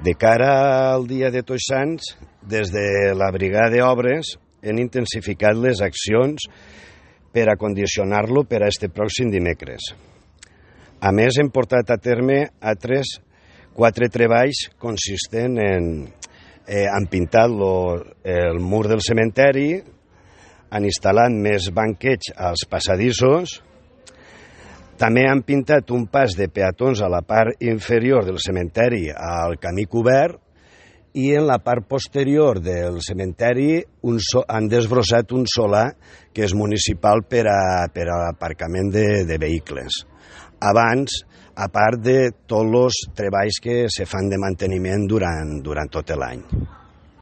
De cara al dia de Tots Sants, des de la Brigada d'Obres hem intensificat les accions per a condicionar-lo per a este pròxim dimecres. A més, hem portat a terme altres 4 treballs consistents han pintat el mur del cementeri, han instal·lat més banquets als passadissos, també han pintat un pas de peatons a la part inferior del cementeri al camí cobert i en la part posterior del cementeri han desbrossat un solar que és municipal per a l'aparcament de vehicles. Abans, a part de tots els treballs que se fan de manteniment durant tot l'any.